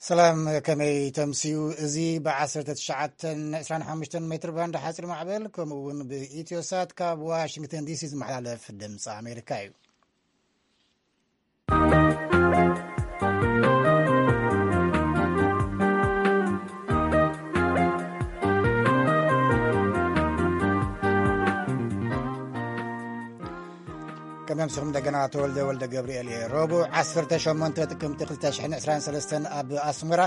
ሰላም፣ ከመይ ተምስዩ? እዚ ብ1925 ሜትር ባንድ ሓፂር ማዕበል፣ ከምኡ እውን ብኢትዮሳት ካብ ዋሽንግተን ዲሲ ዝመሓላለፍ ድምፂ ኣሜሪካ እዩ። ከመምስኹም እንደገና ተወልደ ወልደ ገብርኤል እየ። ረቡዕ 18 ጥቅምቲ 2023 ኣብ ኣስመራ፣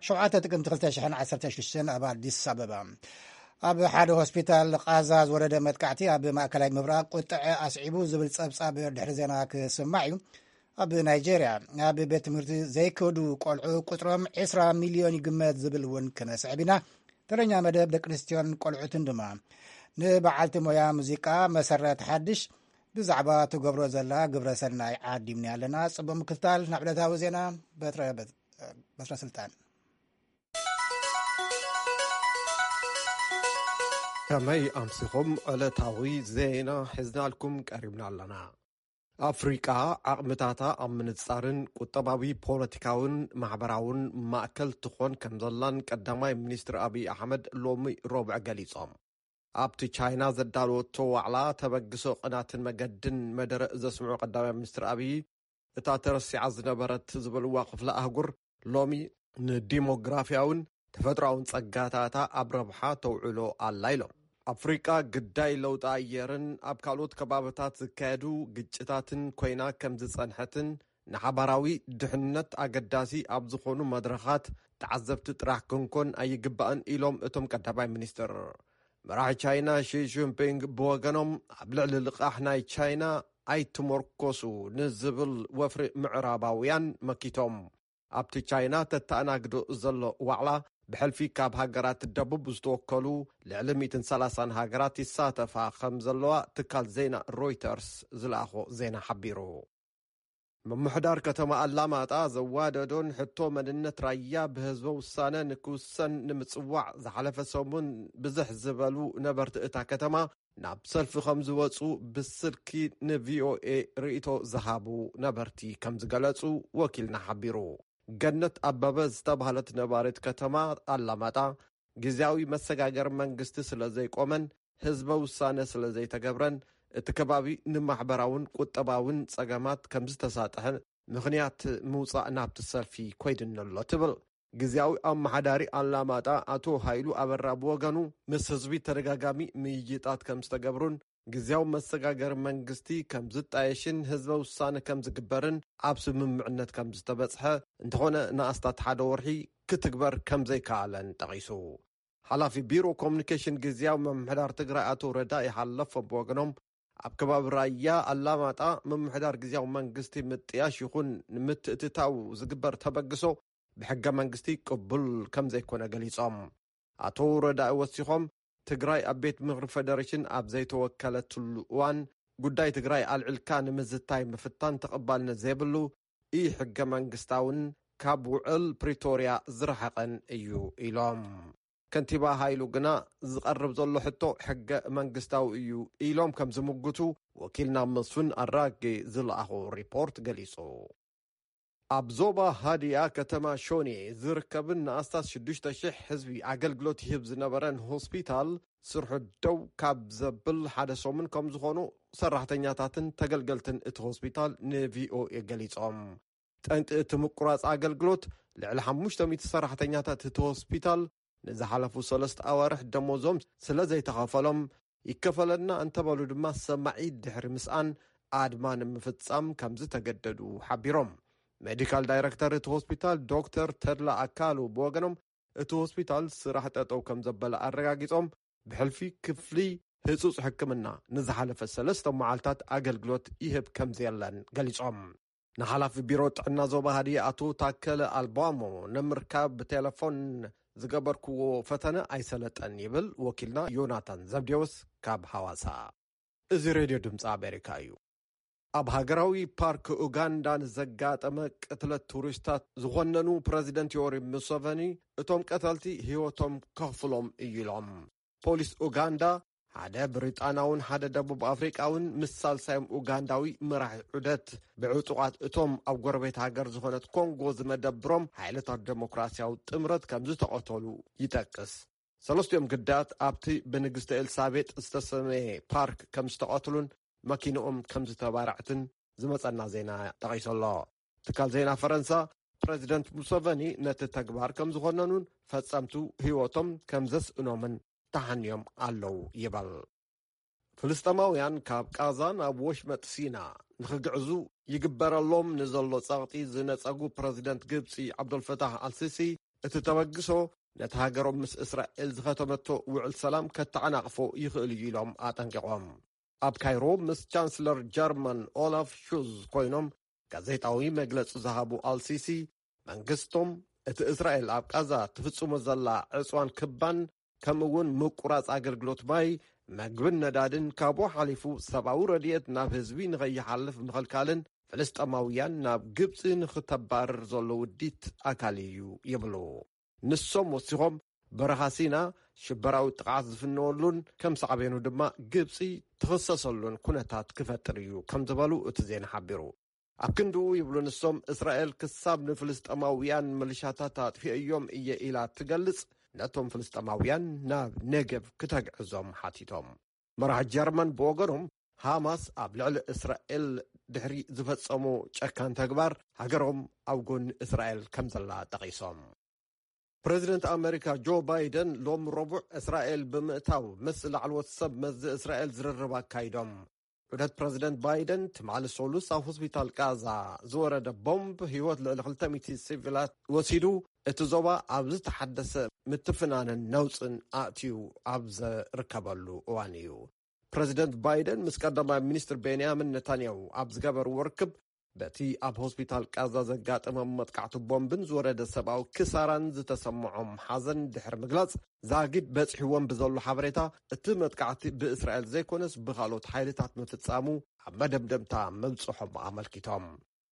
7 ጥቅምቲ 2016 ኣብ ኣዲስ ኣበባ ኣብ ሓደ ሆስፒታል ቃዛ ዝወረደ መጥቃዕቲ ኣብ ማእከላይ ምብራቕ ቁጥዐ ኣስዒቡ ዝብል ጸብጻብ ድሕሪ ዜና ክስማዕ እዩ። ኣብ ናይጄርያ ኣብ ቤት ትምህርቲ ዘይከዱ ቆልዑ ቁጽሮም 20 ሚልዮን ይግመት ዝብል እውን ክነስዕብ ኢና። ተረኛ መደብ ደቂ ኣንስትዮን ቆልዑትን ድማ ንበዓልቲ ሞያ ሙዚቃ መሰረት ሓድሽ ብዛዕባ ትገብሮ ዘላ ግብረ ሰናይ ዓዲምና ኣለና። ጽቡቕ ምክትታል። ናብ ዕለታዊ ዜና በትረ በትረ ስልጣን። ከመይ ኣምሲኹም? ዕለታዊ ዜና ሒዝናልኩም ቀሪብና ኣለና። ኣፍሪቃ ዓቕምታታ ኣብ ምንጻርን ቁጠባዊ፣ ፖለቲካውን ማሕበራውን ማእከል ትኾን ከም ዘላን ቀዳማይ ሚኒስትር ኣብይ ኣሕመድ ሎሚ ረቡዕ ገሊጾም። ኣብቲ ቻይና ዘዳለወቶ ዋዕላ ተበግሶ ቅናትን መገድን መደረ ዘስምዑ ቀዳማይ ሚኒስትር ኣብይ፣ እታ ተረሲዓ ዝነበረት ዝበልዋ ክፍለ ኣህጉር ሎሚ ንዲሞግራፊያውን ተፈጥሮኣውን ጸጋታታ ኣብ ረብሓ ተውዕሎ ኣላ ኢሎም። ኣፍሪቃ ግዳይ ለውጢ ኣየርን ኣብ ካልኦት ከባብታት ዝካየዱ ግጭታትን ኮይና ከም ዝጸንሐትን ንሓባራዊ ድሕነት ኣገዳሲ ኣብ ዝኾኑ መድረኻት ተዓዘብቲ ጥራሕ ክንኮን ኣይግባእን ኢሎም እቶም ቀዳማይ ሚኒስትር። መራሒ ቻይና ሺ ጂንፒንግ ብወገኖም ኣብ ልዕሊ ልቓሕ ናይ ቻይና ኣይትመርኮሱ ንዝብል ወፍሪ ምዕራባውያን መኪቶም። ኣብቲ ቻይና ተተኣናግዶ ዘሎ ዋዕላ ብሕልፊ ካብ ሃገራት ደቡብ ዝተወከሉ ልዕሊ 130 ሃገራት ይሳተፋ ከም ዘለዋ ትካል ዜና ሮይተርስ ዝለኣኾ ዜና ሓቢሩ። ምምሕዳር ከተማ ኣላማጣ ዘዋደዶን ሕቶ መንነት ራያ ብህዝበ ውሳነ ንክውሰን ንምጽዋዕ ዝሓለፈ ሰሙን ብዝሕ ዝበሉ ነበርቲ እታ ከተማ ናብ ሰልፊ ከም ዝወጹ ብስልኪ ንቪኦኤ ርእይቶ ዝሃቡ ነበርቲ ከም ዝገለጹ ወኪልና ሓቢሩ። ገነት ኣበበ ዝተባህለት ነባሪት ከተማ ኣላማጣ፣ ግዝያዊ መሰጋገሪ መንግስቲ ስለ ዘይቆመን ህዝበ ውሳነ ስለ ዘይተገብረን፣ እቲ ከባቢ ንማሕበራውን ቁጠባውን ጸገማት ከም ዝተሳጥሐ ምኽንያት ምውጻእ ናብቲ ሰልፊ ኮይድኒ ኣሎ ትብል። ግዝያዊ ኣመሓዳሪ ኣላማጣ ኣቶ ሃይሉ ኣበራ ብወገኑ፣ ምስ ህዝቢ ተደጋጋሚ ምይይጣት ከም ዝተገብሩን ግዝያዊ መሰጋገሪ መንግስቲ ከም ዝጣየሽን ህዝበ ውሳነ ከም ዝግበርን ኣብ ስምምዕነት ከም ዝተበጽሐ፣ እንተኾነ ንኣስታት ሓደ ወርሒ ክትግበር ከም ዘይከኣለን ጠቒሱ። ሓላፊ ቢሮ ኮሙኒኬሽን ግዝያዊ ምምሕዳር ትግራይ ኣቶ ረዳኢ ሓለፎም ብወገኖም፣ ኣብ ከባቢ ራያ ኣላማጣ ምምሕዳር ግዝያዊ መንግስቲ ምጥያሽ ይኹን ንምትእትታው ዝግበር ተበግሶ ብሕገ መንግስቲ ቅቡል ከም ዘይኮነ ገሊጾም። ኣቶ ረዳኢ ወሲኾም፣ ትግራይ ኣብ ቤት ምኽሪ ፌደሬሽን ኣብ ዘይተወከለትሉ እዋን፣ ጉዳይ ትግራይ ኣልዒልካ ንምዝታይ ምፍታን ተቐባልነት ዘይብሉ፣ ኢ ሕገ መንግስታውን ካብ ውዕል ፕሪቶርያ ዝረሓቐን እዩ ኢሎም። ከንቲባ ሃይሉ ግና፣ ዝቐርብ ዘሎ ሕቶ ሕገ መንግስታዊ እዩ ኢሎም ከም ዝምጉቱ ወኪልና መስፍን ኣራጌ ዝለኣኾ ሪፖርት ገሊጹ። ኣብ ዞባ ሃዲያ ከተማ ሾኔ ዝርከብን ንኣስታት 6,000 ህዝቢ ኣገልግሎት ይህብ ዝነበረን ሆስፒታል፣ ስርሑ ደው ካብ ዘብል ሓደ ሰሙን ከም ዝኾኑ ሰራሕተኛታትን ተገልገልትን እቲ ሆስፒታል ንቪኦኤ ገሊጾም። ጠንቂ እቲ ምቁራጽ ኣገልግሎት፣ ልዕሊ 500 ሰራሕተኛታት እቲ ሆስፒታል ንዝሓለፉ ሰለስተ ኣዋርሕ ደሞዞም ስለ ዘይተኸፈሎም፣ ይከፈለና እንተበሉ ድማ ሰማዒ ድሕሪ ምስኣን ኣድማ ንምፍጻም ከም ዝተገደዱ ሓቢሮም። ሜዲካል ዳይረክተር እቲ ሆስፒታል ዶክተር ተድላ ኣካሉ ብወገኖም፣ እቲ ሆስፒታል ስራሕ ጠጠው ከም ዘበለ ኣረጋጊጾም፣ ብሕልፊ ክፍሊ ህጹጽ ሕክምና ንዝሓለፈ ሰለስተ መዓልታት ኣገልግሎት ይህብ ከም ዘየለን ገሊጾም። ንሓላፊ ቢሮ ጥዕና ዞባ ሃዲያ ኣቶ ታከለ ኣልባሞ ንምርካብ ብቴሌፎን ዝገበርክዎ ፈተነ ኣይሰለጠን ይብል ወኪልና ዮናታን ዘብዴዎስ ካብ ሃዋሳ። እዚ ሬድዮ ድምፂ ኣሜሪካ እዩ። ኣብ ሃገራዊ ፓርክ ኡጋንዳ ንዘጋጠመ ቅትለት ቱሪስታት ዝኾነኑ ፕረዚደንት ዮወሪ ሙሰቨኒ፣ እቶም ቀተልቲ ህይወቶም ከኽፍሎም እዩ ኢሎም። ፖሊስ ኡጋንዳ ሓደ ብሪጣናውን ሓደ ደቡብ ኣፍሪቃውን ምስ ሳልሳዮም ኡጋንዳዊ መራሒ ዑደት፣ ብዕጡቓት እቶም ኣብ ጎረቤት ሃገር ዝኾነት ኮንጎ ዝመደብሮም ሓይልታት ደሞክራሲያዊ ጥምረት ከም ዝተቐተሉ ይጠቅስ። ሰለስቲኦም ግዳያት ኣብቲ ብንግስቲ ኤልሳቤጥ ዝተሰመየ ፓርክ ከም ዝተቐትሉን መኪንኦም ከም ዝተባርዐትን ዝመጸና ዜና ጠቒሱ ኣሎ። ትካል ዜና ፈረንሳ፣ ፕረዚደንት ሙሰቨኒ ነቲ ተግባር ከም ዝኾነኑን ፈጸምቱ ህይወቶም ከም ዘስእኖምን ተሓንዮም ኣለዉ ይበል። ፍልስጤማውያን ካብ ቃዛ ናብ ወሽመጥ ሲና ንኽግዕዙ ይግበረሎም ንዘሎ ጸቕጢ ዝነጸጉ ፕረዚደንት ግብጺ ዓብዶልፈታሕ ኣልሲሲ፣ እቲ ተበግሶ ነቲ ሃገሮም ምስ እስራኤል ዝኸተመቶ ውዕል ሰላም ከተዓናቕፎ ይኽእል እዩ ኢሎም ኣጠንቂቖም። ኣብ ካይሮ ምስ ቻንስለር ጀርመን ኦላፍ ሹዝ ኮይኖም ጋዜጣዊ መግለጺ ዝሃቡ ኣልሲሲ፣ መንግስቶም እቲ እስራኤል ኣብ ቃዛ ትፍጽሞ ዘላ ዕጽዋን ክባን፣ ከምኡ እውን ምቁራጽ ኣገልግሎት ማይ፣ መግብን ነዳድን፣ ካብኡ ሓሊፉ ሰብኣዊ ረድኤት ናብ ህዝቢ ንኸይሓልፍ ምኽልካልን ፍልስጤማውያን ናብ ግብጺ ንኽተባርር ዘሎ ውዲት ኣካል እዩ ይብሉ። ንሶም ወሲኾም፣ በረኻ ሲና ሽበራዊ ጥቕዓት ዝፍነወሉን ከም ሳዕቤኑ ድማ ግብጺ ትኽሰሰሉን ኩነታት ክፈጥር እዩ ከም ዝበሉ እቲ ዜና ሓቢሩ። ኣብ ክንድኡ ይብሉ ንሶም፣ እስራኤል ክሳብ ንፍልስጤማውያን ምልሻታት ኣጥፊአዮም እየ ኢላ ትገልጽ፣ ነቶም ፍልስጤማውያን ናብ ኔገቭ ክተግዕዞም ሓቲቶም። መራሒ ጀርመን ብወገኖም፣ ሃማስ ኣብ ልዕሊ እስራኤል ድሕሪ ዝፈጸሞ ጨካን ተግባር፣ ሃገሮም ኣብ ጎኒ እስራኤል ከም ዘላ ጠቒሶም። ፕረዚደንት ኣመሪካ ጆ ባይደን ሎም ረቡዕ እስራኤል ብምእታው ምስ ላዕለዎት ሰብ መዚ እስራኤል ዝርርብ ኣካይዶም። ዑደት ፕረዚደንት ባይደን ትማሊ ሰሉስ ኣብ ሆስፒታል ቃዛ ዝወረደ ቦምብ ህይወት ልዕሊ ክልተ ሚእቲ ሲቪላት ወሲዱ፣ እቲ ዞባ ኣብ ዝተሓደሰ ምትፍናንን ነውጽን ኣእትዩ ኣብ ዝርከበሉ እዋን እዩ። ፕረዚደንት ባይደን ምስ ቀዳማይ ሚኒስትር ቤንያሚን ነታንያሁ ኣብ ዝገበርዎ ርክብ፣ በቲ ኣብ ሆስፒታል ቃዛ ዘጋጠመ መጥቃዕቲ ቦምብን ዝወረደ ሰብኣዊ ክሳራን ዝተሰምዖም ሓዘን ድሕሪ ምግላጽ፣ ዛጊድ በጺሕዎም ብዘሎ ሓበሬታ፣ እቲ መጥቃዕቲ ብእስራኤል ዘይኮነስ ብኻልኦት ሓይልታት ምፍጻሙ ኣብ መደምደምታ ምብጽሖም ኣመልኪቶም።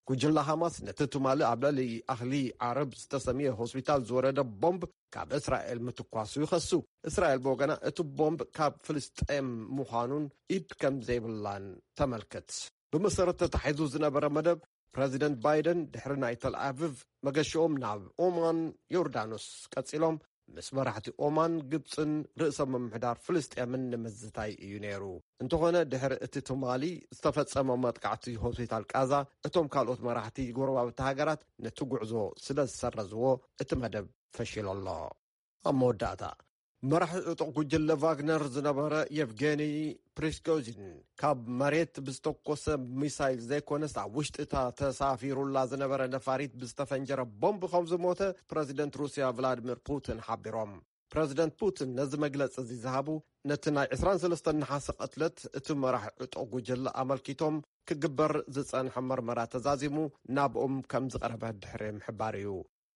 ጉጅለ ሃማስ ነቲ ትማሊ ኣብ ልዕሊ ኣህሊ ዓረብ ዝተሰምየ ሆስፒታል ዝወረደ ቦምብ ካብ እስራኤል ምትኳሱ ይኸሱ። እስራኤል ብወገና እቲ ቦምብ ካብ ፍልስጤም ምዃኑን ኢድ ከም ዘይብላን ተመልክት። ብመሰረት ተታሒዙ ዝነበረ መደብ፣ ፕረዚደንት ባይደን ድሕሪ ናይ ተልኣቪቭ መገሽኦም ናብ ኦማን፣ ዮርዳኖስ ቀጺሎም፣ ምስ መራሕቲ ኦማን፣ ግብጽን ርእሰ ምምሕዳር ፍልስጤምን ንምዝታይ እዩ ነይሩ። እንተኾነ፣ ድሕሪ እቲ ትማሊ ዝተፈጸመ መጥቃዕቲ ሆስፒታል ቃዛ፣ እቶም ካልኦት መራሕቲ ጎረባብቲ ሃገራት ነቲ ጉዕዞ ስለ ዝሰረዝዎ፣ እቲ መደብ ፈሺሉ ኣሎ። ኣብ መወዳእታ፣ መራሒ ዕጡቕ ጉጅለ ቫግነር ዝነበረ የቭጌኒ ፕሪስኮዚን፣ ካብ መሬት ብዝተኮሰ ሚሳይል ዘይኮነስ፣ ኣብ ውሽጢ እታ ተሳፊሩላ ዝነበረ ነፋሪት ብዝተፈንጀረ ቦምብ ከም ዝሞተ ፕረዚደንት ሩስያ ቭላድሚር ፑቲን ሓቢሮም። ፕረዚደንት ፑቲን ነዚ መግለጺ እዚ ዝሃቡ፣ ነቲ ናይ ዕስራን ሰለስተን ነሓሰ ቅትለት እቲ መራሒ ዕጡቕ ጉጅለ ኣመልኪቶም ክግበር ዝጸንሐ መርመራ ተዛዚሙ ናብኦም ከም ዝቐረበ ድሕሪ ምሕባር እዩ።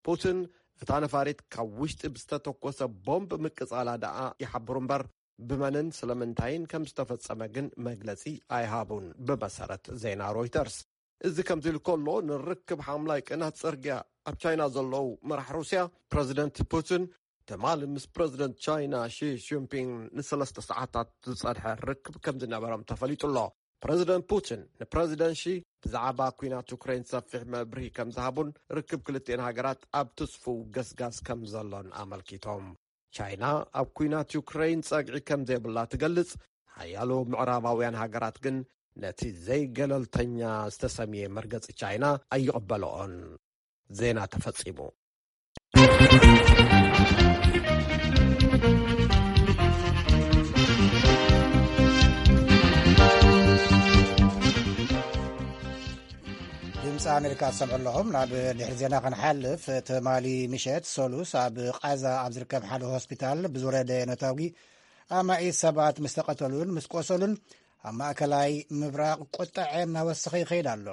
ፑቲን፣ እታ ነፋሪት ካብ ውሽጢ ብዝተተኮሰ ቦምብ ምቅጻላ ደኣ ይሓብሩ እምበር፣ ብመንን ስለምንታይን ከም ዝተፈጸመ ግን መግለጺ ኣይሃቡን፣ ብመሰረት ዜና ሮይተርስ። እዚ ከምዚ ኢሉ ከሎ፣ ንርክብ ሓምላይ ቅናት ጽርግያ ኣብ ቻይና ዘለዉ መራሕ ሩስያ፣ ፕረዚደንት ፑቲን፣ ትማሊ ምስ ፕረዚደንት ቻይና ሺ ጂንፒንግ ንሰለስተ ሰዓታት ዝጸንሐ ርክብ ከም ዝነበሮም ተፈሊጡ ኣሎ። ፕረዚደንት ፑቲን ንፕረዚደንት ሺ ብዛዕባ ኲናት ዩክሬን ሰፊሕ መብርሂ ከም ዝሃቡን፣ ርክብ ክልቲኤን ሃገራት ኣብ ትስፉው ገስጋስ ከም ዘሎን ኣመልኪቶም። ቻይና ኣብ ኲናት ዩክሬን ጸግዒ ከም ዘይብላ ትገልጽ፣ ሓያሎ ምዕራባውያን ሃገራት ግን ነቲ ዘይገለልተኛ ዝተሰምየ መርገጺ ቻይና ኣይቕበልኦን። ዜና ተፈጺሙ። ድምፂ ኣሜሪካ ትሰምዑ ኣለኹም። ናብ ድሕሪ ዜና ክንሓልፍ፣ ትማሊ ምሸት ሰሉስ ኣብ ቃዛ ኣብ ዝርከብ ሓደ ሆስፒታል ብዝወረደ ነታጒ ኣማኢት ሰባት ምስ ተቐተሉን ምስ ቆሰሉን፣ ኣብ ማእከላይ ምብራቕ ቁጠዐ እናወሰኸ ይኸይድ ኣሎ።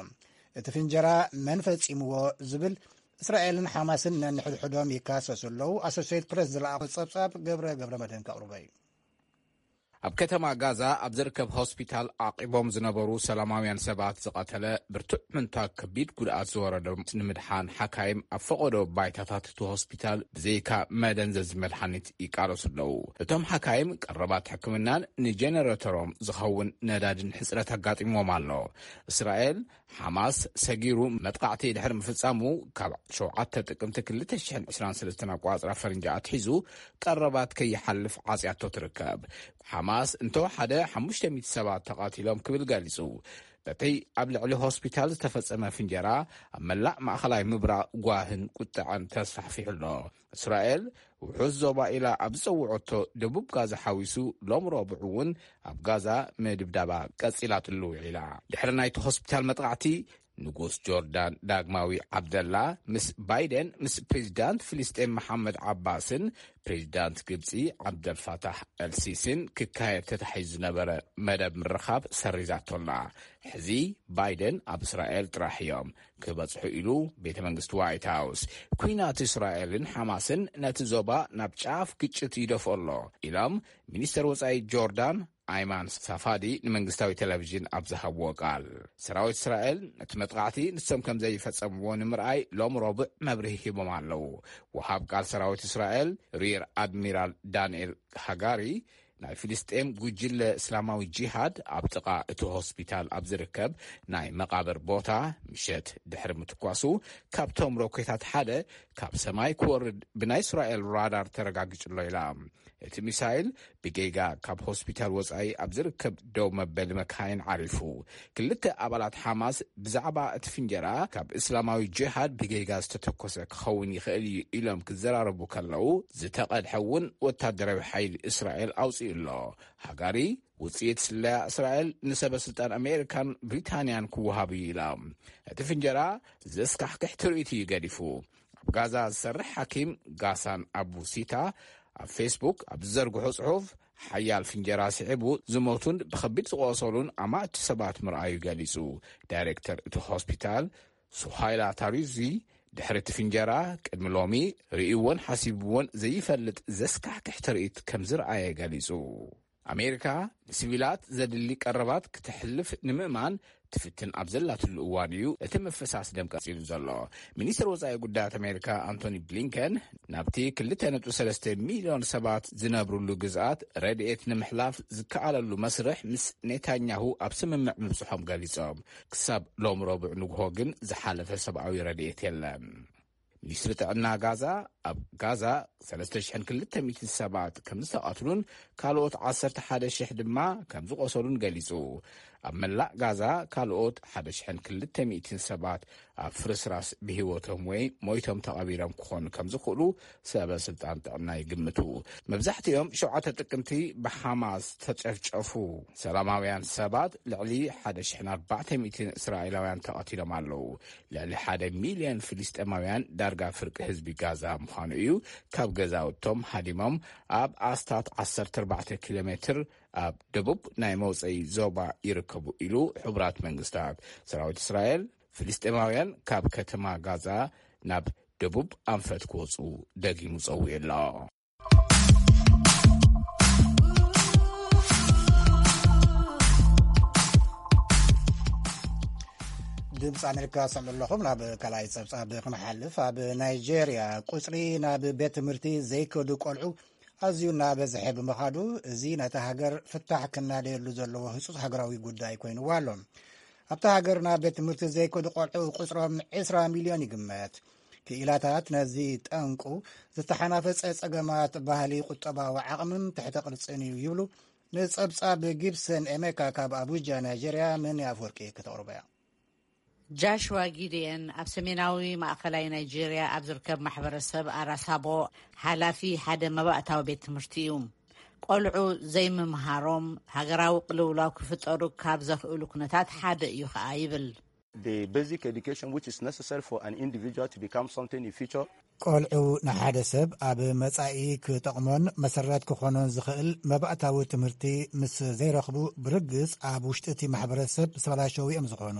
እቲ ፍንጀራ መን ፈጺምዎ ዝብል፣ እስራኤልን ሓማስን ነንሕድሕዶም ይካሰሱ ኣለዉ። ኣሶሴት ፕረስ ዝለኣኾ ጸብጻብ ገብረ ገብረ መድህን ከቕርቦ እዩ። ኣብ ከተማ ጋዛ ኣብ ዝርከብ ሆስፒታል ዓቂቦም ዝነበሩ ሰላማውያን ሰባት ዝቐተለ ብርቱዕ ምንታግ ከቢድ ጉድኣት ዝወረዶም ንምድሓን ሓካይም ኣብ ፈቐዶ ባይታታት እቲ ሆስፒታል ብዘይካ መደንዘዚ መድሓኒት ይቃለሱ ኣለዉ። እቶም ሓካይም ቀረባት ሕክምናን ንጀነረተሮም ዝኸውን ነዳድን ሕጽረት ኣጋጢምዎም ኣሎ። እስራኤል ሓማስ ሰጊሩ መጥቃዕቲ ድሕሪ ምፍጻሙ ካብ ሸውዓተ ጥቅምቲ ክልተ ሽሕን ዕስራን ሰለስተን ኣቋጽራ ፈረንጂ ኣትሒዙ ቀረባት ከይሓልፍ ዓጽያቶ ትርከብ። ሓማስ እንተወሓደ ሓሙሽተ ሚእቲ ሰባት ተቓቲሎም ክብል ገሊጹ። በቲ ኣብ ልዕሊ ሆስፒታል ዝተፈጸመ ፍንጀራ ኣብ መላእ ማእኸላይ ምብራቕ ጓህን ቁጥዐን ተስፋሕፊሑ ኣሎ። እስራኤል ውሑስ ዞባ ኢላ ኣብ ዝጸውዐቶ ደቡብ ጋዛ ሓዊሱ ሎም ረቡዕ እውን ኣብ ጋዛ ምድብዳባ ቀጺላትሉ ውዒላ። ድሕሪ ናይቲ ሆስፒታል መጥቃዕቲ ንጉስ ጆርዳን ዳግማዊ ዓብደላ ምስ ባይደን ምስ ፕሬዚዳንት ፍልስጤም መሓመድ ዓባስን ፕሬዚዳንት ግብፂ ዓብደልፋታሕ ኤልሲሲን ክካየድ ተታሒዙ ዝነበረ መደብ ምርኻብ ሰሪዛቶላ። ሕዚ ባይደን ኣብ እስራኤል ጥራሕ እዮም ክበጽሑ ኢሉ ቤተ መንግስቲ ዋይት ሃውስ። ኩናት እስራኤልን ሓማስን ነቲ ዞባ ናብ ጫፍ ግጭት ይደፍኦ ኣሎ ኢሎም ሚኒስተር ወጻኢ ጆርዳን ኣይማን ሳፋዲ ንመንግስታዊ ቴሌቪዥን ኣብ ዝሃብዎ ቃል። ሰራዊት እስራኤል ነቲ መጥቃዕቲ ንሶም ከም ዘይፈጸምዎ ንምርኣይ ሎም ረቡዕ መብርሂ ሂቦም ኣለዉ። ወሃብ ቃል ሰራዊት እስራኤል ሪር ኣድሚራል ዳንኤል ሃጋሪ ናይ ፍልስጤም ጉጅለ እስላማዊ ጂሃድ ኣብ ጥቓ እቲ ሆስፒታል ኣብ ዝርከብ ናይ መቓብር ቦታ ምሸት ድሕሪ ምትኳሱ ካብቶም ሮኬታት ሓደ ካብ ሰማይ ክወርድ ብናይ እስራኤል ራዳር ተረጋጊጹ ኣሎ ኢላ። እቲ ሚሳይል ብጌጋ ካብ ሆስፒታል ወጻኢ ኣብ ዝርከብ ደው መበሊ መካይን ዓሪፉ። ክልተ ኣባላት ሓማስ ብዛዕባ እቲ ፍንጀራ ካብ እስላማዊ ጂሃድ ብጌጋ ዝተተኮሰ ክኸውን ይኽእል እዩ ኢሎም ክዘራረቡ ከለዉ፣ ዝተቐድሐ እውን ወታደራዊ ሓይሊ እስራኤል ኣውጺኡ ኣሎ። ሃጋሪ ውጽኢት ስለያ እስራኤል ንሰበ ስልጣን ኣሜሪካን ብሪታንያን ክወሃብ እዩ ኢላ። እቲ ፍንጀራ ዘስካሕክሕ ትርኢት እዩ ገዲፉ። ኣብ ጋዛ ዝሰርሕ ሓኪም ጋሳን ኣቡ ሲታ ኣብ ፌስቡክ ኣብ ዝዘርግሖ ጽሑፍ፣ ሓያል ፍንጀራ ስዒቡ ዝሞቱን ብኸቢድ ዝቆሰሉን ኣማእቲ ሰባት ምርኣዩ ገሊጹ። ዳይሬክተር እቲ ሆስፒታል ሱሃይላ ታሪዚ ድሕሪ እቲ ፍንጀራ ቅድሚ ሎሚ ርእይዎን ሓሲብዎን ዘይፈልጥ ዘስካሕክሕ ትርኢት ከም ዝረኣየ ገሊጹ። ኣሜሪካ ንሲቪላት ዘድሊ ቀረባት ክተሕልፍ ንምእማን ትፍትን ኣብ ዘላትሉ እዋን እዩ እቲ ምፍሳስ ደም ቀጺሉ ዘሎ። ሚኒስትር ወጻኢ ጉዳያት ኣሜሪካ ኣንቶኒ ብሊንከን ናብቲ ክልተ ነጥቢ ሰለስተ ሚልዮን ሰባት ዝነብሩሉ ግዝኣት ረድኤት ንምሕላፍ ዝከኣለሉ መስርሕ ምስ ኔታንያሁ ኣብ ስምምዕ ምብጽሖም ገሊጾም። ክሳብ ሎም ረቡዕ ንግሆ ግን ዝሓለፈ ሰብኣዊ ረድኤት የለን። ሚኒስትሪ ጥዕና ጋዛ ኣብ ጋዛ ሰለስተ ሽሕን ክልተ ሚእትን ሰባት ከም ዝተቐትሉን ካልኦት ዓሰርተ ሓደ ሽሕ ድማ ከም ዝቆሰሉን ገሊጹ። ኣብ መላእ ጋዛ ካልኦት ሓደ ሽሕን ክልተ ሚእትን ሰባት ኣብ ፍርስራስ ብህይወቶም ወይ ሞይቶም ተቐቢሮም ክኾኑ ከም ዝኽእሉ ሰበ ስልጣን ጥዕና ይግምቱ። መብዛሕትኦም ሸውዓተ ጥቅምቲ ብሓማስ ተጨፍጨፉ ሰላማውያን ሰባት ልዕሊ ሓደ ሽሕን ኣርባዕተ ሚእትን እስራኤላውያን ተቐቲሎም ኣለዉ። ልዕሊ ሓደ ሚልዮን ፍልስጤማውያን ዳርጋ ፍርቂ ህዝቢ ጋዛ ምዃኑ እዩ ካብ ገዛውቶም ሃዲሞም ኣብ ኣስታት ዓሰርተ ኣርባዕተ ኪሎ ሜትር ኣብ ደቡብ ናይ መውፀኢ ዞባ ይርከቡ ኢሉ ሕቡራት መንግስታት። ሰራዊት እስራኤል ፍልስጤማውያን ካብ ከተማ ጋዛ ናብ ደቡብ ኣንፈት ክወፁ ደጊሙ ፀዊዑ ኣሎ። ድምፂ ኣሜሪካ ሰምዑ ኣለኹም። ናብ ካልኣይ ፀብፃብ ክንሓልፍ፣ ኣብ ናይጄርያ ቁፅሪ ናብ ቤት ትምህርቲ ዘይከዱ ቆልዑ ኣዝዩ እናበዝሐ ብምኻዱ፣ እዚ ነታ ሃገር ፍታሕ ክናደየሉ ዘለዎ ህፁፅ ሃገራዊ ጉዳይ ኮይንዋ ኣሎ። ኣብታ ሃገር ናብ ቤት ትምህርቲ ዘይከዱ ቆልዑ ቁፅሮም ዕስራ ሚልዮን ይግመት። ክኢላታት ነዚ ጠንቁ ዝተሓናፈፀ ፀገማት ባህሊ፣ ቁጠባዊ ዓቕምን ትሕተ ቅርፅን እዩ ይብሉ። ንፀብፃብ ጊብሰን ኤሜካ ካብ ኣቡጃ ናይጄርያ ምን ኣፍወርቂ ከተቕርቦ እያ። ጃሽዋ ጊድየን ኣብ ሰሜናዊ ማእኸላይ ናይጄርያ ኣብ ዝርከብ ማሕበረሰብ ኣራሳቦ ሓላፊ ሓደ መባእታዊ ቤት ትምህርቲ እዩ። ቆልዑ ዘይምምሃሮም ሃገራዊ ቅልውላው ክፍጠሩ ካብ ዘኽእሉ ኩነታት ሓደ እዩ ኸኣ ይብል። The basic education which is necessary for an individual to become something in future. ቆልዑ ንሓደ ሰብ ኣብ መጻኢ ክጠቕሞን መሰረት ክኾኖን ዝኽእል መባእታዊ ትምህርቲ ምስ ዘይረኽቡ፣ ብርግጽ ኣብ ውሽጢ እቲ ማሕበረሰብ ዝተበላሸዉ እዮም ዝኾኑ።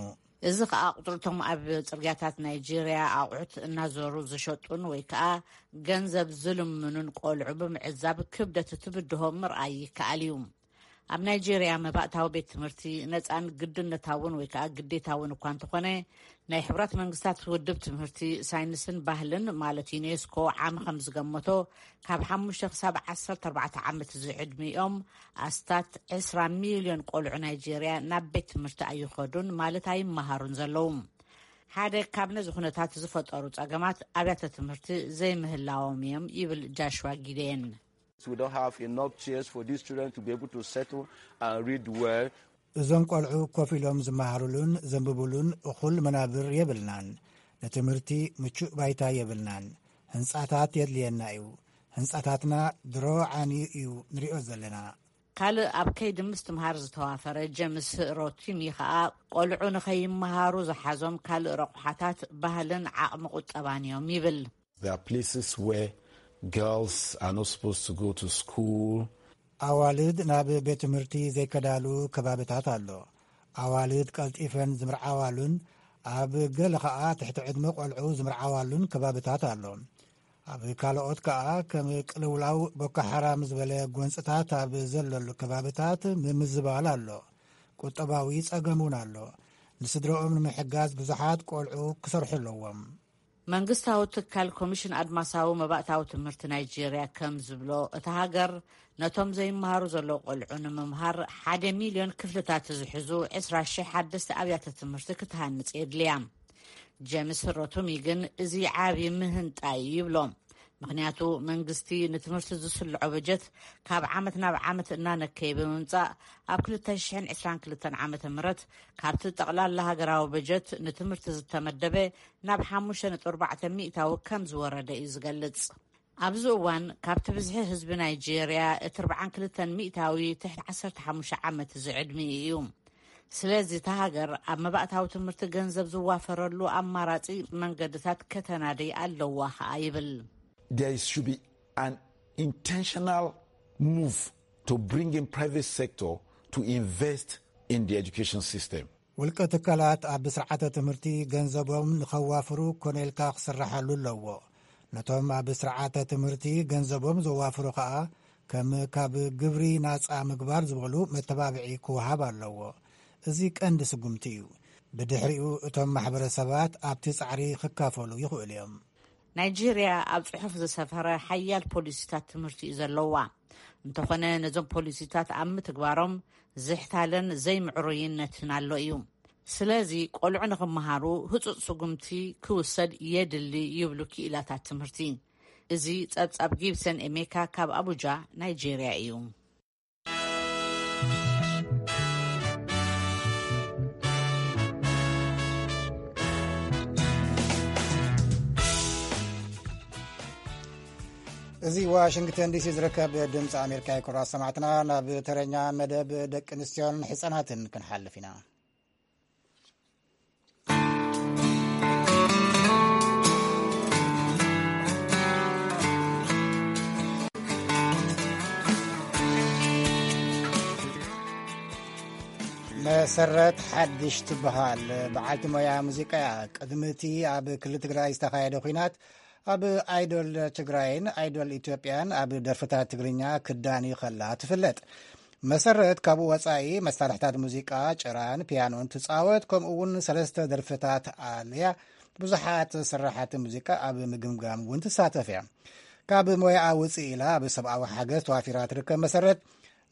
እዚ ኸኣ ቁጽርቶም ኣብ ጽርግያታት ናይጄርያ ኣቑሑት እናዞሩ ዝሸጡን ወይ ከኣ ገንዘብ ዝልምኑን ቆልዑ ብምዕዛብ ክብደት እቲ ብድሆ ምርኣይ ይከኣል እዩ። ኣብ ናይጄርያ መባእታዊ ቤት ትምህርቲ ነፃን ግድነታውን ወይ ከዓ ግዴታውን እኳ እንተኾነ፣ ናይ ሕቡራት መንግስታት ውድብ ትምህርቲ፣ ሳይንስን ባህልን ማለት ዩኔስኮ ዓሚ ከም ዝገመቶ፣ ካብ ሓሙሽተ ክሳብ ዓሰርተ ኣርባዕተ ዓመት ዝዕድሚኦም ኣስታት ዕስራ ሚልዮን ቆልዑ ናይጄርያ ናብ ቤት ትምህርቲ ኣይኸዱን ማለት ኣይመሃሩን ዘለዉ። ሓደ ካብ ነዚ ኩነታት ዝፈጠሩ ጸገማት ኣብያተ ትምህርቲ ዘይምህላዎም እዮም ይብል ጃሽዋ ጊዴን። We don't have enough chairs for these children to be able to settle and read well. እዞም ቆልዑ ኮፍ ኢሎም ዝመሃሩሉን ዘንብቡሉን እኹል መናብር የብልናን። ንትምህርቲ ምቹእ ባይታ የብልናን። ህንጻታት የድልየና እዩ። ህንጻታትና ድሮ ዓንዩ እዩ ንሪኦ ዘለና። ካልእ ኣብ ከይዲ ምስትምሃር ዝተዋፈረ ጀምስ ሮቲሚ ኸኣ፣ ቆልዑ ንኸይመሃሩ ዝሓዞም ካልእ ረቑሓታት ባህልን ዓቕሚ ቁጠባን እዮም ይብል። There are places where girls are not supposed to go to school. ኣዋልድ ናብ ቤት ትምህርቲ ዘይከዳሉ ከባብታት ኣሎ። ኣዋልድ ቀልጢፈን ዝምርዓዋሉን ኣብ ገለ ኸኣ ትሕቲ ዕድመ ቆልዑ ዝምርዓዋሉን ከባብታት ኣሎ። ኣብ ካልኦት ከኣ ከም ቅልውላው ቦኮ ሓራም ዝበለ ጎንጽታት ኣብ ዘለሉ ከባብታት ምምዝባል ኣሎ። ቁጠባዊ ጸገም እውን ኣሎ። ንስድረኦም ንምሕጋዝ ብዙሓት ቆልዑ ክሰርሑ ኣለዎም። መንግስታዊ ትካል ኮሚሽን ኣድማሳዊ መባእታዊ ትምህርቲ ናይጄርያ ከም ዝብሎ፣ እታ ሃገር ነቶም ዘይመሃሩ ዘለዉ ቆልዑ ንምምሃር ሓደ ሚልዮን ክፍልታት ዝሕዙ ዕስራ ሽሕ ሓደስቲ ኣብያተ ትምህርቲ ክትሃንጽ የድልያ። ጀምስ ሮቱሚ ግን እዚ ዓቢ ምህንጣ እዩ ይብሎ። ምኽንያቱ መንግስቲ ንትምህርቲ ዝስልዖ በጀት ካብ ዓመት ናብ ዓመት እናነከየ ብምምጻእ፣ ኣብ ክልተ ሽሕን ዕስራን ክልተን ዓመተ ምህረት ካብቲ ጠቕላላ ሃገራዊ በጀት ንትምህርቲ ዝተመደበ ናብ ሓሙሽተ ነጥቢ ኣርባዕተ ሚእታዊ ከም ዝወረደ እዩ ዝገልጽ። ኣብዚ እዋን ካብቲ ብዝሒ ህዝቢ ናይጄርያ እቲ ኣርባዓን ክልተን ሚእታዊ ትሕቲ ዓሰርተ ሓሙሽተ ዓመት ዝዕድሚኡ እዩ። ስለዚ እታ ሃገር ኣብ መባእታዊ ትምህርቲ ገንዘብ ዝዋፈረሉ ኣማራጺ መንገድታት ከተናድይ ኣለዋ ኸኣ ይብል። There should be an intentional move to bring in private sector to invest in the education system. ውልቀ ትካላት ኣብ ስርዓተ ትምህርቲ ገንዘቦም ንኸዋፍሩ ኮነ ኢልካ ክስራሓሉ ኣለዎ። ነቶም ኣብ ስርዓተ ትምህርቲ ገንዘቦም ዘዋፍሩ ኸኣ ከም ካብ ግብሪ ናጻ ምግባር ዝበሉ መተባብዒ ክወሃብ ኣለዎ። እዚ ቀንዲ ስጉምቲ እዩ። ብድሕሪኡ እቶም ማሕበረሰባት ኣብቲ ጻዕሪ ክካፈሉ ይኽእሉ እዮም። ናይጄርያ ኣብ ጽሑፍ ዝሰፈረ ሓያል ፖሊሲታት ትምህርቲ እዩ ዘለዋ። እንተኾነ ነዞም ፖሊሲታት ኣብ ምትግባሮም ዝሕታለን ዘይምዕሩይነትን ኣሎ እዩ። ስለዚ ቆልዑ ንኽመሃሩ ህጹጽ ስጉምቲ ክውሰድ የድሊ ይብሉ ክኢላታት ትምህርቲ። እዚ ጸብጻብ ጊብሰን ኤሜካ ካብ ኣቡጃ ናይጄርያ እዩ። እዚ ዋሽንግተን ዲሲ ዝርከብ ድምፂ ኣሜሪካ እዩ። ክቡራት ሰማዕትና፣ ናብ ተረኛ መደብ ደቂ ኣንስትዮን ሕፃናትን ክንሓልፍ ኢና። መሰረት ሓድሽ ትበሃል በዓልቲ ሞያ ሙዚቃ እያ። ቅድሚ እቲ ኣብ ክልል ትግራይ ዝተኻየደ ኲናት ኣብ ኣይዶል ትግራይን ኣይዶል ኢትዮጵያን ኣብ ደርፍታት ትግርኛ ክዳኒ ከላ ትፍለጥ። መሰረት ካብኡ ወጻኢ መሳርሕታት ሙዚቃ፣ ጭራን ፒያኖን ትጻወት፣ ከምኡ እውን ሰለስተ ደርፍታት ኣልያ። ብዙሓት ስራሓት ሙዚቃ ኣብ ምግምጋም እውን ትሳተፍ እያ። ካብ ሞያኣ ውፅእ ኢላ ኣብ ሰብኣዊ ሓገዝ ተዋፊራ ትርከብ መሰረት፣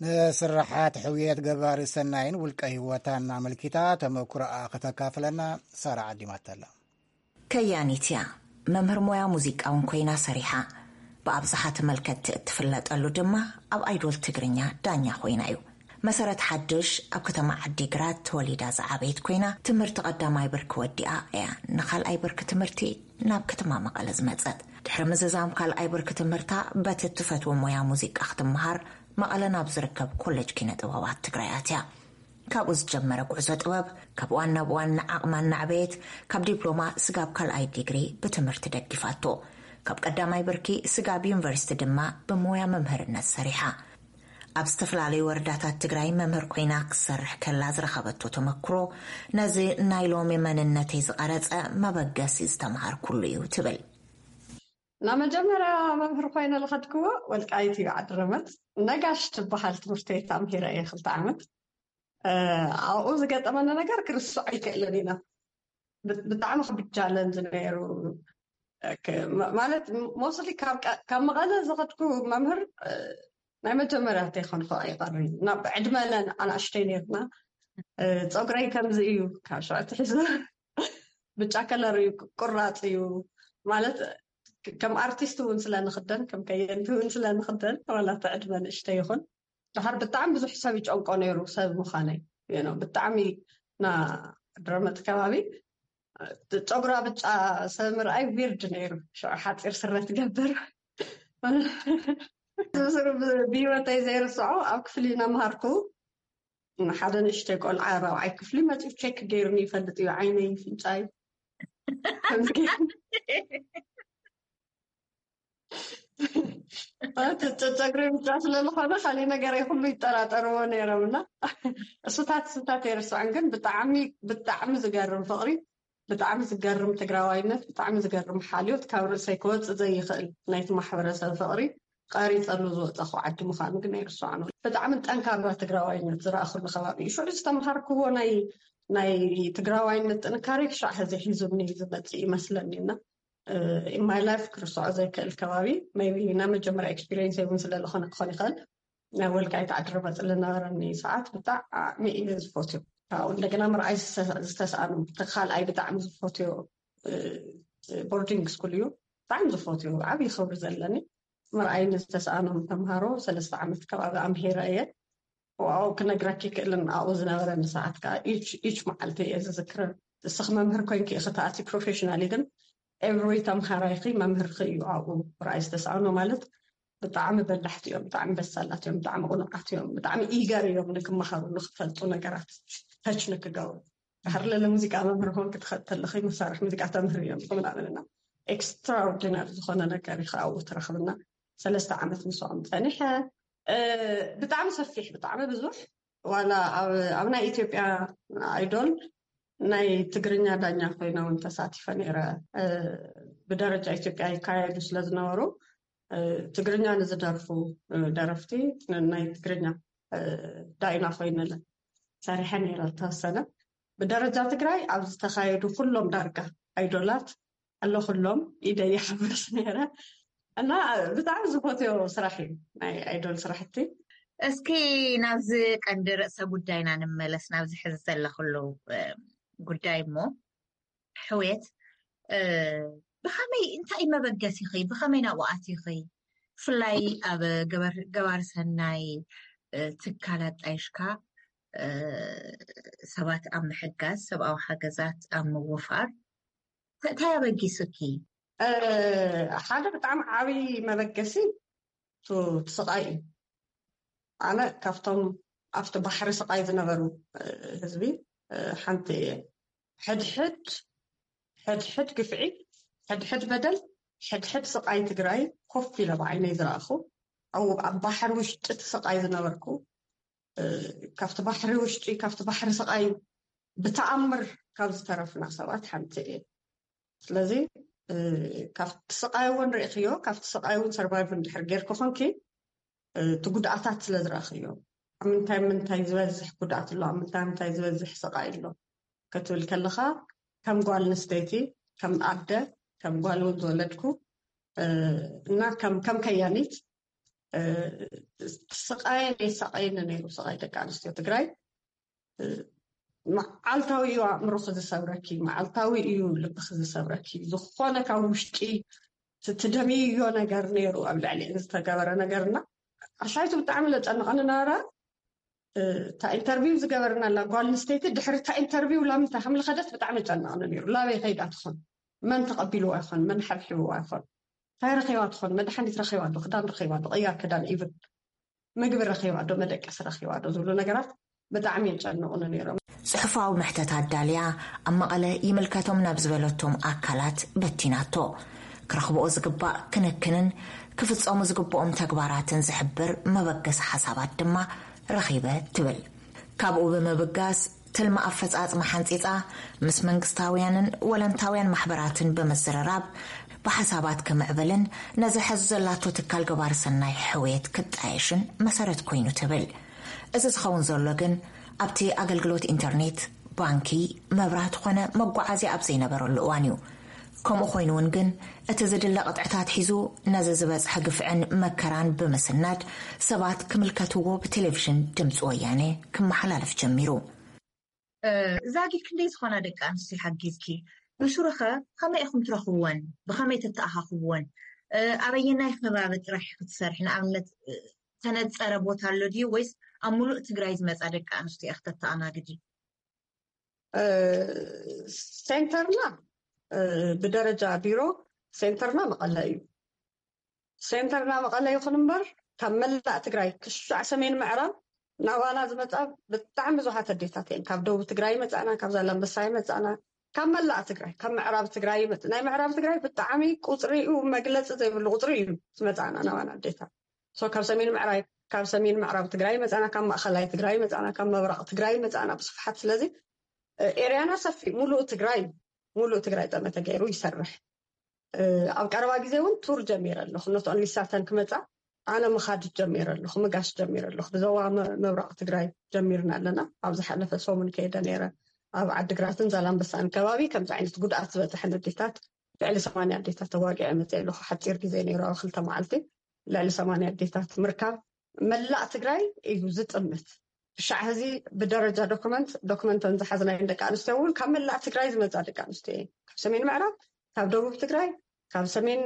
ንስራሓት ሕውየት ገባሪ ሰናይን ውልቀ ህይወታን ኣመልኪታ ተመኩሮኣ ከተካፍለና ሳራ ዓዲማተላ። ከያኒት እያ። መምህር ሞያ ሙዚቃ እውን ኮይና ሰሪሓ። ብኣብዝሓ ተመልከትቲ እትፍለጠሉ ድማ ኣብ ኣይዶል ትግርኛ ዳኛ ኮይና እዩ። መሰረት ሓድሽ ኣብ ከተማ ዓዲግራት ተወሊዳ ዝዓበየት ኮይና፣ ትምህርቲ ቀዳማይ ብርኪ ወዲኣ እያ ንኻልኣይ ብርኪ ትምህርቲ ናብ ከተማ መቐለ ዝመጸት። ድሕሪ ምዝዛም ካልኣይ ብርኪ ትምህርታ፣ በቲ እትፈትዎ ሞያ ሙዚቃ ክትመሃር መቐለ ናብ ዝርከብ ኮሌጅ ኪነ ጥበባት ትግራይ ኣትያ። ካብኡ ዝጀመረ ጉዕዞ ጥበብ፣ ካብ እዋን ናብ እዋን ንዓቕማ እናዕበየት፣ ካብ ዲፕሎማ ስጋብ ካልኣይ ዲግሪ ብትምህርቲ ደጊፋቶ። ካብ ቀዳማይ ብርኪ ስጋብ ዩኒቨርሲቲ ድማ ብሞያ መምህርነት ሰሪሓ። ኣብ ዝተፈላለዩ ወረዳታት ትግራይ መምህር ኮይና ክትሰርሕ ከላ ዝረኸበቶ ተመክሮ፣ ነዚ ናይ ሎሚ መንነተይ ዝቐረጸ መበገሲ ዝተምሃርኩሉ እዩ ትብል። ናብ መጀመርያ መምህር ኮይነ ዝኸድክዎ ወልቃይት እዩ፣ ዓዲ ረመት። ነጋሽ ትበሃል ትምህርቲ ቤት ኣምሂረ እየ ክልተ ዓመት። ኣብኡ ዝገጠመኒ ነገር ክርስዖ ኣይክእልን ኢና። ብጣዕሚ ክብድ ቻለንጅ ነይሩ። ማለት ሞስሊ ካብ መቐለ ዝኸድኩ መምህር ናይ መጀመርያ ተይኮንኩ ኣይቀርን። ናብ ዕድመለን ኣናእሽተይ ነርና። ፀጉረይ ከምዚ እዩ፣ ካብ ሽዑ ትሒዙ ብጫ ከለር እዩ፣ ቁራፅ እዩ። ማለት ከም ኣርቲስት እውን ስለንክደን፣ ከም ከየንቲ እውን ስለንክደን፣ ዋላ እቲ ዕድመ ንእሽተይ ይኹን፣ ድሓር ብጣዕሚ ብዙሕ ሰብ ይጨንቆ ነይሩ ሰብ ምዃነይ። ብጣዕሚ ና ድረመት ከባቢ ፀጉራ ብጫ ሰብ ምርኣይ ዊርድ ነይሩ። ሽዑ ሓፂር ስረ ትገብር። ብስሩ ብህይወተይ ዘይርስዖ፣ ኣብ ክፍሊ እናምሃርኩ ሓደ ንእሽተይ ቆልዓ ራብዓይ ክፍሊ መፂኡ ቼክ ገይሩኒ ይፈልጥ እዩ፣ ዓይነይ፣ ፍንጫይ። ጸጉሪ ብጫ ስለዝኾነ ካሊእ ነገር ኩሉ ይጠራጠርዎ ነይሮም እና እሱታት እሱታት ኣይርስዖን። ግን ብጣዕሚ ብጣዕሚ ዝገርም ፍቕሪ፣ ብጣዕሚ ዝገርም ትግራዋይነት፣ ብጣዕሚ ዝገርም ሓልዮት፣ ካብ ርእሰይ ክወፅእ ዘይኽእል ናይቲ ማሕበረሰብ ፍቕሪ ቀሪፀሉ ዝወፀኹ ዓዲ ምዃኑ ግን ኣይርስዖን። ብጣዕሚ ጠንካራ ትግራዋይነት ዝረኣኹሉ ከባቢ እዩ። ሽዑ ዝተምሃርክዎ ናይ ናይ ትግራዋይነት ጥንካሬ ክሻዕ ሕዚ ሒዙኒ ዝመፅእ ይመስለኒ እና in my life ክርስዖ ዘይክእል ከባቢ maybe ናይ መጀመርያ ኤክስፒሪየንስ እውን ስለዝኾነ ክኾን ይኽእል። ናይ ወልቃይት ዓዲ ረመፅ ዝነበረኒ ሰዓት ብጣዕሚ እየ ዝፈትዮ። ካብኡ እንደገና ምርኣይ ዝተስኣኖም እቲ ካልኣይ ብጣዕሚ ዝፈትዮ ቦርዲንግ ስኩል እዩ። ብጣዕሚ ዝፈትዮ ዓብዪ ክብሪ ዘለኒ ምርኣይ ንዝተስኣኖም ተምሃሮ ሰለስተ ዓመት ከባቢ ኣምሂረ እየ። ዋው ክነግረኪ ክእልን ኣብኡ ዝነበረኒ ሰዓት ከዓ ኢች መዓልቲ እየ ዝዝክረ። እስኺ መምህር ኮይንኪ ኢኺ ተኣትዪ ፕሮፌሽናሊ ግን ኤቭሪ ተምሃራይኺ መምህርኺ እዩ። ኣብኡ ርኣይ ዝተሰኣኖ ማለት ብጣዕሚ በላሕቲ እዮም፣ ብጣዕሚ በሳላት እዮም፣ ብጣዕሚ ቁኑዓት እዮም፣ ብጣዕሚ ኢገር እዮም ንክመሃሩ ንክፈልጡ ነገራት ተች ንክገብሩ። ድሕር ለለ ሙዚቃ መምህር ኮንኪ ትኸተልኺ መሳርሒ ሙዚቃ ተምህር እዮም ምናምንና ኤክስትራኦርዲነር ዝኾነ ነገር እዩ ኣብኡ ትረኽብና። ሰለስተ ዓመት ምስኦም ፀኒሐ። ብጣዕሚ ሰፊሕ ብጣዕሚ ብዙሕ ዋላ ኣብ ናይ ኢትዮጵያ ኣይዶል ናይ ትግርኛ ዳኛ ኮይነ እውን ተሳቲፈ ነይረ። ብደረጃ ኢትዮጵያ ይካየዱ ስለዝነበሩ ትግርኛ ንዝደርፉ ደረፍቲ ናይ ትግርኛ ዳይና ኮይነ ሰሪሐ ነይረ። ዝተወሰነ ብደረጃ ትግራይ ኣብ ዝተካየዱ ኩሎም ዳርጋ ኣይዶላት ኣሎ ኩሎም ኢደ ይሓብስ ነይረ እና ብጣዕሚ ዝፈትዮ ስራሕ እዩ ናይ ኣይዶል ስራሕቲ። እስኪ ናብዚ ቀንዲ ርእሰ ጉዳይና ንመለስ፣ ናብዚ ሕዚ ዘለክሉ ጉዳይ እሞ ሕውየት ብኸመይ እንታይ መበገሲኺ ብኸመይ ናብኡ ኣቲኺ ብፍላይ ኣብ ገባር ሰናይ ትካል ኣጣይሽካ ሰባት ኣብ ምሕጋዝ ሰብኣዊ ሓገዛት ኣብ ምውፋር እንታይ ኣበጊሱኪ? ሓደ ብጣዕሚ ዓብዪ መበገሲ እቲ ስቓይ እዩ። ኣነ ካብቶም ኣብቲ ባሕሪ ስቓይ ዝነበሩ ህዝቢ ሓንቲ እየ። ሕድሕድ ሕድሕድ ግፍዒ፣ ሕድሕድ በደል፣ ሕድሕድ ስቓይ ትግራይ ኮፍ ኢለ ብዓይነይ ዝረኣኹ፣ ኣብ ባሕሪ ውሽጢ እቲ ስቓይ ዝነበርኩ፣ ካብቲ ባሕሪ ውሽጢ ካብቲ ባሕሪ ስቓይ ብተኣምር ካብ ዝተረፍና ሰባት ሓንቲ እየ። ስለዚ ካብቲ ስቓይ እውን ርኢኽዮ፣ ካብቲ ስቓይ እውን ሰርቫይቭ እንድሕር ጌርኪ ኮንኪ እቲ ጉድኣታት ስለ ዝረእኽዮ፣ ኣብ ምንታይ ምንታይ ዝበዝሕ ጉድኣት ኣሎ፣ ኣብ ምንታይ ምንታይ ዝበዝሕ ስቓይ ኣሎ ክትብል ከለኻ ከም ጓል ኣንስተይቲ፣ ከም ኣደ፣ ከም ጓል እውን ዝወለድኩ እና ከም ከም ከያኒት ስቓየን የሳቐየኒ ነይሩ። ስቓይ ደቂ ኣንስትዮ ትግራይ መዓልታዊ እዩ ኣእምሮኺ ዝሰብረኪ፣ መዓልታዊ እዩ ልብኺ ዝሰብረኪ። ዝኾነ ካብ ውሽጢ ትደምይዮ ነገር ነይሩ ኣብ ልዕሊአን ዝተገበረ ነገርና ኣሻይቱ ብጣዕሚ ለጨንቐኒ ነበረ። እታ ኢንተርቪው ዝገበርናላ ጓል ኣንስተይቲ ድሕሪ እታ ኢንተርቪው ላምንታይ ከም ዝኸደት ብጣዕሚ ጨንቐኒ ነይሩ። ላበይ ከይዳ ትኾን? መን ተቐቢልዋ ይኾን? መን ሓብሒብዋ ይኾን? እንታይ ረኺባ ትኾን? መድሓኒት ረኺባ ዶ? ክዳን ረኺባ ዶ? ቅያር ክዳን ኢቭን ምግቢ ረኺባ ዶ? መደቀሲ ረኺባ ዶ? ዝብሉ ነገራት ብጣዕሚ የጨንቑኒ ነይሮም። ጽሑፋዊ መሕተት ኣዳልያ ኣብ መቐለ ይምልከቶም ናብ ዝበለቶም ኣካላት በቲናቶ። ክረኽብኦ ዝግባእ ክንክንን ክፍጸሙ ዝግብኦም ተግባራትን ዝሕብር መበገሲ ሓሳባት ድማ ረኺበ ትብል። ካብኡ ብምብጋስ ትልሚ ኣፈጻጽማ ሓንጺጻ ምስ መንግስታውያንን ወለንታውያን ማሕበራትን ብምዝርራብ ብሓሳባት ክምዕብልን ነዚ ሕዚ ዘላቶ ትካል ገባር ሰናይ ሕውየት ክጣየሽን መሰረት ኮይኑ ትብል። እዚ ዝኸውን ዘሎ ግን ኣብቲ ኣገልግሎት ኢንተርኔት፣ ባንኪ፣ መብራት ኾነ መጓዓዝያ ኣብ ዘይነበረሉ እዋን እዩ። ከምኡ ኮይኑ እውን ግን እቲ ዝድለ ቅጥዕታት ሒዙ ነዚ ዝበፅሐ ግፍዕን መከራን ብምስናድ ሰባት ክምልከትዎ ብቴሌቪዥን ድምፂ ወያነ ክመሓላለፍ ጀሚሩ። ዛጊ ክንደይ ዝኾና ደቂ ኣንስትዮ ሓጊዝኪ? ብሱሩኸ ከመይ ኢኹም ትረኽብወን? ብኸመይ ተተኣኻኽብወን? ኣበየናይ ከባቢ ጥራሕ ክትሰርሒ? ንኣብነት ተነፀረ ቦታ ኣሎ ድዩ ወይስ ኣብ ሙሉእ ትግራይ ዝመፃ ደቂ ኣንስትዮ ኢኽ ተተኣናግዲ? ሴንተርና ብደረጃ ቢሮ ሴንተርና መቐለ እዩ። ሴንተርና መቐለ ይኹን እምበር ካብ መላእ ትግራይ ክሻዕ ሰሜን ምዕራብ ናባና ዝመፃ ብጣዕሚ ብዙሓት ኣዴታት እየን። ካብ ደቡብ ትግራይ ይመፃና፣ ካብ ዛላምበሳ ይመፃና፣ ካብ መላእ ትግራይ፣ ካብ ምዕራብ ትግራይ ይመፅ። ናይ ምዕራብ ትግራይ ብጣዕሚ ቁፅሪኡ መግለፂ ዘይብሉ ቁፅሪ እዩ ዝመፃና ናባና ኣዴታት። ሶ ካብ ሰሜን ምዕራብ ካብ ሰሜን ምዕራብ ትግራይ ይመፃና፣ ካብ ማእኸላይ ትግራይ ይመፃና፣ ካብ ምብራቕ ትግራይ ይመፃና ብስፍሓት። ስለዚ ኤርያና ሰፊ ሙሉእ ትግራይ ሙሉእ ትግራይ ጠመተ ገይሩ ይሰርሕ። ኣብ ቀረባ ግዜ እውን ቱር ጀሚረ ኣለኹ። ኖት ኦንሊ ሳተን ክመፃ ኣነ ምኻድ ጀሚረ ኣለኹ፣ ምጋሽ ጀሚረ ኣለኹ። ብዞባ ምብራቕ ትግራይ ጀሚርና ኣለና። ኣብ ዝሓለፈ ሰሙን ከይደ ነይረ። ኣብ ዓድግራትን ዛላምበሳን ከባቢ ከምዚ ዓይነት ጉድኣት ዝበፅሐን ኣዴታት ልዕሊ ሰማንያ ኣዴታት ተዋጊዐ መፅእ ኣለኹ። ሓፂር ግዜ ነይሩ፣ ኣብ ክልተ መዓልቲ ልዕሊ ሰማንያ ኣዴታት ምርካብ መላእ ትግራይ እዩ ዝጥምት። ብሻዕ ህዚ ብደረጃ ዶክመንት ዶክመንተን ዝሓዝናየን ደቂ ኣንስትዮ እውን ካብ መላእ ትግራይ ዝመፃ ደቂ ኣንስትዮ እየን። ካብ ሰሜን ምዕራብ፣ ካብ ደቡብ ትግራይ፣ ካብ ሰሜን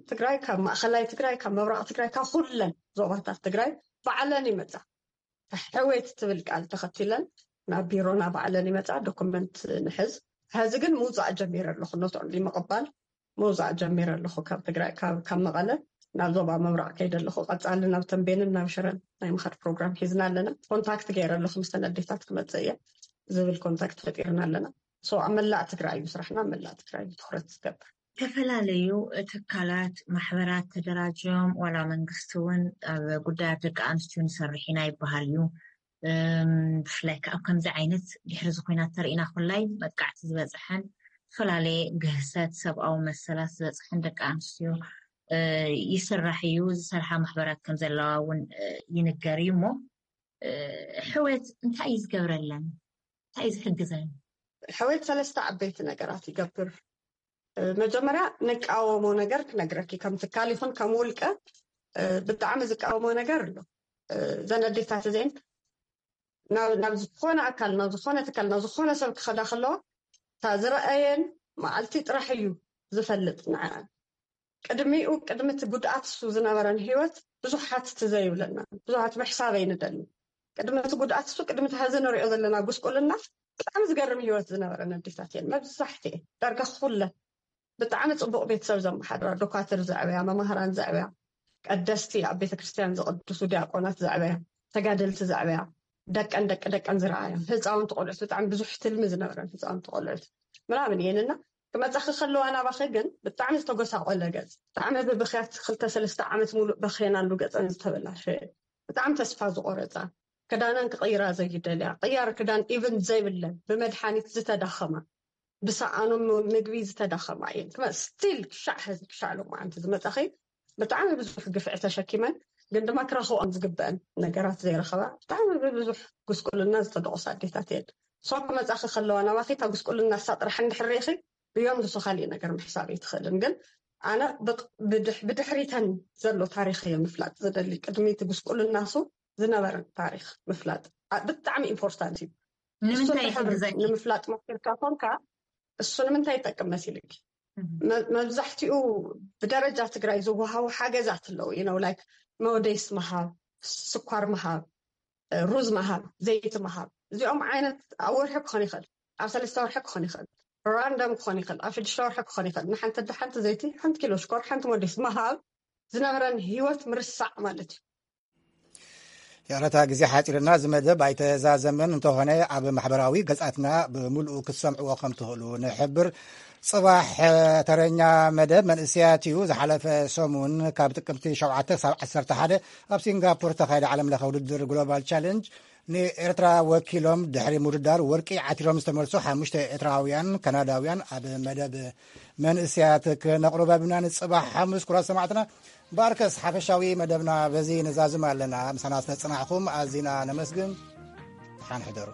ትግራይ፣ ካብ ማእኸላይ ትግራይ፣ ካብ ምብራቕ ትግራይ፣ ካብ ኩለን ዞባታት ትግራይ ባዕለን ይመፃ። ሕወየት ትብል ቃል ተኸቲለን ናብ ቢሮና ባዕለን ይመፃ። ዶክመንት ንሕዝ። ሕዚ ግን ምውፃእ ጀሚረ ኣለኹ። ኖት ኦንሊ ምቕባል ምውፃእ ጀሚረ ኣለኹ። ካብ ትግራይ ካብ መቐለ ናብ ዞባ ምብራቕ ከይደ ኣለኹ። ቀፃሊ ናብ ተንቤንን ናብ ሽረን ናይ ምኻድ ፕሮግራም ሒዝና ኣለና። ኮንታክት ገይረ ኣለኹ፣ ምስተን ኣዴታት ክመፅእ እየ ዝብል ኮንታክት ፈጢርና ኣለና። ሶ ኣብ መላእ ትግራይ እዩ ስራሕና፣ ኣብ መላእ ትግራይ እዩ ትኩረት ዝገብር። ዝተፈላለዩ ትካላት፣ ማሕበራት ተደራጅዮም ዋላ መንግስቲ እውን ኣብ ጉዳያት ደቂ ኣንስትዮ ንሰርሕ ኢና ይበሃል እዩ። ብፍላይ ከዓ ኣብ ከምዚ ዓይነት ድሕሪ እዚ ኲናት ተሪእና ኩላይ መጥቃዕቲ ዝበፅሐን ዝተፈላለየ ግህሰት ሰብኣዊ መሰላት ዝበፅሐን ደቂ ኣንስትዮ ይስራሕ እዩ። ዝሰርሓ ማሕበራት ከም ዘለዋ እውን ይንገር እዩ። እሞ ሕውየት እንታይ እዩ ዝገብረለን? እንታይ እዩ ዝሕግዘን? ሕውየት ሰለስተ ዓበይቲ ነገራት ይገብር። መጀመርያ ንቃወሞ ነገር ክነግረኪ፣ ከም ትካል ይኹን ከም ውልቀ ብጣዕሚ ዝቃወሞ ነገር ኣሎ። እዘን ኣዴታት እዚአን ናብ ዝኾነ ኣካል፣ ናብ ዝኾነ ትካል፣ ናብ ዝኾነ ሰብ ክኸዳ ከለዋ እታ ዝረኣየን መዓልቲ ጥራሕ እዩ ዝፈልጥ ንዓን። ቅድሚኡ ቅድሚ እቲ ጉድኣት እሱ ዝነበረን ህይወት ብዙሓት ትዘይብለና፣ ብዙሓት ምሕሳበይ ንደሊ። ቅድሚ እቲ ጉድኣት እሱ ቅድሚ እቲ ሀዚ ንሪኦ ዘለና ጉስቁልና ብጣዕሚ ዝገርም ህይወት ዝነበረን ኣዴታት እየን መብዛሕትኤን ዳርጋ ኩለን። ብጣዕሚ ፅቡቕ ቤተሰብ ዘመሓድራ፣ ዶኳትር ዘዕበያ፣ መማህራን ዘዕበያ፣ ቀደስቲ ኣብ ቤተክርስትያን ዝቕድሱ ዲያቆናት ዘዕበያ፣ ተጋደልቲ ዘዕበያ፣ ደቀን ደቂ ደቀን ዝረኣያ ህፃውንቲ ቆልዑት፣ ብጣዕሚ ብዙሕ ትልሚ ዝነበረን ህፃውንቲ ቆልዑት ምናምን እየን እና ክመፃኺ ከለዋ ናባኺ ግን ብጣዕሚ ዝተጎሳቆለ ገፅ፣ ብጣዕሚ ብብኽያት ክልተ ሰለስተ ዓመት ሙሉእ በኽየናሉ ገፀን ዝተበላሸየ፣ ብጣዕሚ ተስፋ ዝቆረፃ፣ ክዳነን ክቕይራ ዘይደልያ፣ ቅያር ክዳን ኢቭን ዘይብለን፣ ብመድሓኒት ዝተዳኸማ፣ ብሰኣኖም ምግቢ ዝተዳኸማ እየን። ስቲል ክሻዕ ሕዚ ክሻዕ ሎማዓንቲ ዝመፃኺ ብጣዕሚ ብዙሕ ግፍዒ ተሸኪመን ግን ድማ ክረኽብኦም ዝግበአን ነገራት ዘይረኸባ ብጣዕሚ ብብዙሕ ጉስቁልና ዝተደቆሳ ኣዴታት እየን። ሶ ክመፃኺ ከለዋ ናባኺ እታ ጉስቁልና እሳ ጥራሕ እንድሕር ርኢኺ ብዮም ንሱ ካሊእ ነገር ምሕሳብ ኣይትኽእልን። ግን ኣነ ብድሕሪተን ዘሎ ታሪኽ እየ ምፍላጥ ዝደሊ። ቅድሚ እቲ ጉስቁልና ሱ ዝነበረን ታሪኽ ምፍላጥ ብጣዕሚ ኢምፖርታንት እዩ። እሱ ንምንታይ እንድሕር ይሕግዘኪ? ንምፍላጥ ሞኪርካ ኮንካ እሱ ንምንታይ ይጠቅም መሲልኪ? መብዛሕትኡ ብደረጃ ትግራይ ዝወሃቡ ሓገዛት ኣለዉ። You know, like መወደይስ ምሃብ፣ ስኳር ምሃብ፣ ሩዝ ምሃብ፣ ዘይቲ ምሃብ፣ እዚኦም ዓይነት ኣብ ወርሒ ክኾን ይኽእል፣ ኣብ ሰለስተ ወርሒ ክኾን ይኽእል፣ ራንደም ክኾን ይኽእል፣ ኣብ ሽዱሽተ ወርሒ ክኾን ይኽእል። ንሓንቲ ኣደ ሓንቲ ዘይቲ፣ ሓንቲ ኪሎ ሽኮር፣ ሓንቲ መወደይስ ምሃብ ዝነበረን ህይወት ምርሳዕ ማለት እዩ። ይቕረታ፣ ግዜ ሓፂርና፣ እዚ መደብ ኣይተዛዘመን እንተኾነ ኣብ ማሕበራዊ ገፃትና ብምሉኡ ክትሰምዕዎ ከም ትኽእሉ ንሕብር። ጽባሕ ተረኛ መደብ መንእሰያት እዩ። ዝሓለፈ ሰሙን ካብ ጥቅምቲ ሸውዓተ ክሳብ ዓሰርተ ሓደ ኣብ ሲንጋፖር ተኻየደ ዓለም ለኸ ውድድር ግሎባል ቻለንጅ ንኤርትራ ወኪሎም ድሕሪ ምውድዳር ወርቂ ዓቲሮም ዝተመልሱ ሓሙሽተ ኤርትራውያን ካናዳውያን ኣብ መደብ መንእሰያት ክነቕርብ ኣቢና ንጽባሕ ሓሙስ። ኩራት ሰማዕትና ባርከስ ሓፈሻዊ መደብና በዚ ንዛዝም ኣለና። ምሳና ስለዝጸናሕኩም ኣዚና ነመስግን። ሓን ሕደሩ።